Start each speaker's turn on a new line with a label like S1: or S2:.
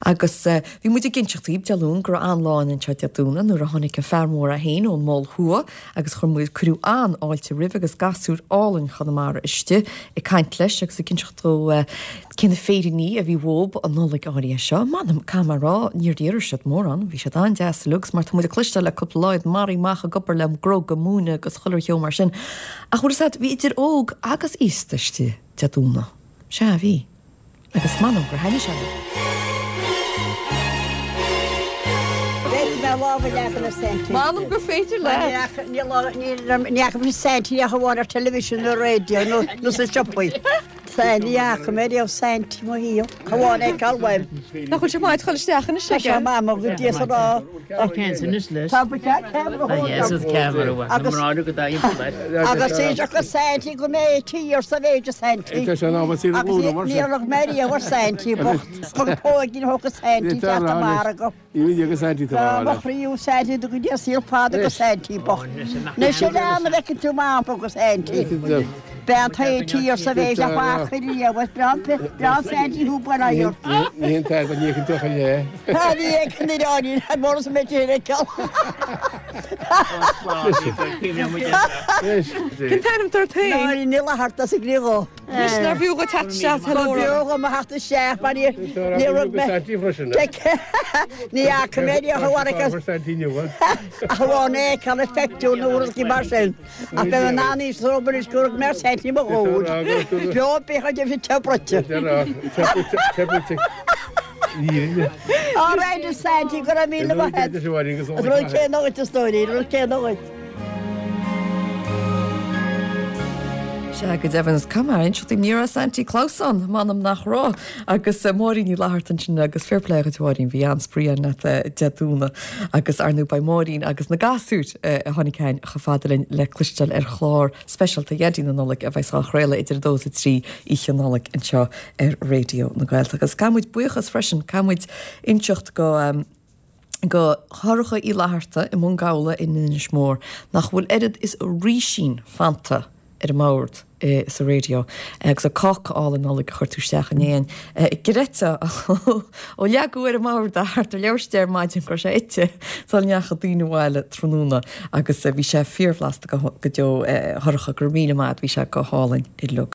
S1: Agus bhí muid ag inseacht daoibh Dé Luain go raibh an-lá againn anseo Dé Domhnaigh nuair a tháinig an fear mór é féin ón Mol Thuaidh agus chuir muid, cuireadh an-fháilte roimhe agus gasúir álainn Chonamara istigh ag caint leis agus ag inseacht dó cé na féiríní a bhí uathub an Nollaig áirithe seo. M'anam, caithfidh mé a rá, níor iarr siad mórán, bhí siad an-deas uilig agus mar tá muid ag cloisteáil le cúpla lá iad maraithe amach ag obair le grug ag múineadh agus chuile cheo mar sin. Ach bhfuil fhios a'd, bhí idir óg agus aosta istigh Dé Domhnaigh. Sea, bhí. Agus m'anam gur thaitnigh sé leo.
S2: Féadfaidh mé lámh a leagan ar Saintí.
S1: M'anam gur féidir leat!
S2: Ní fhaca mise Saintí ach amháin ar television nó radio nó sa siopaí. Ní fhaca mé riamh Saintí mo shaol, ach amháin é feiceáil uaim.
S1: Nach bhfuil sé maith ag dul isteach anois
S2: aige? Tá sé maith, mo go dtí is a rá.
S3: Tá ceann anois leis.
S2: Tá ceamara
S3: Agus
S2: Agus is go Saintí go mbeidh tír sa mhéid a Saintí.
S4: Tá sé in am a saol a ghlúine mar sin.
S2: Agus níor rug mé riamh ar Saintí bocht. Thug póigín thug a Saintí teacht an margadh. Tá mo chroí ó Saintí do go dtí saol fada go Saintí bocht. Anois a lean a bhfeiceann tú m'ampa go Saintí. Bean tae tír sa mhéid a bhfaca riamh is breá breá Saintí thú buail aghaidh ort.
S4: Ní haon t-airgead ní fheiceann tú ach a leath.
S2: Tá ní fheiceann an oiread mór is a mbeidh sé ar feiceáil.
S1: Cén t-ainm atá ort féin?
S2: Máirín Ní Fhlatharta as an gCré Dhubh.
S1: Anois nár bhfiú dhuit teacht isteach hello a rá.
S2: Ba bheo dhom a theacht isteach mar ní raibh mé ní fhaca mé riamh ach amháin é a fheiceáil ar phictiúr nó rud mar sin. Ach beidh an an-fhios romham anois go raibh mé ar Saintí mo dhúil. Beo bíodh a deimhin te bruite. Á raibh a Saintí go raibh 1000 maith agat. An rud céanna dhuit a stóirín, an rud céanna dhuit.
S1: Sea, go deimhin, is cuma, inseacht daoibh, ní raibh Saintí Claus ann, m'anam nach raibh. Agus Máirín Ní Fhlatharta ansin agus fair play dhuit a Mháirín, bhí an-spraoi againn leat Dé Domhnaigh agus ar ndóigh beidh Máirín agus na gasúir a tháinig chugainn chomh fada linn le cloisteáil ar chlár speisialta Dhaidí na Nollag a bheas á chraoladh idir 2 is 3 oíche Nollag anseo ar Raidió na Gaeltachta. Agus caithfidh muid buíochas freisin, caithfidh muid inseacht go go Shorcha Uí Fhlatharta i mBun Gabhla in Inis Mór nach bhfuil oiread is rísín fanta ar an mbord sa raidió agus an cáca álainn Nollag a chuir tú isteach inné gcreidfeá ó leagadh ar an mbord é thart ar leathuair tar éis a deich ar maidin go raibh sé ite sula ndeachaigh daoine abhaile tráthnóna agus bhí sé fíorbhlasta go deo a Shorcha, go raibh míle maith agat, bhí sé go hálainn uilig.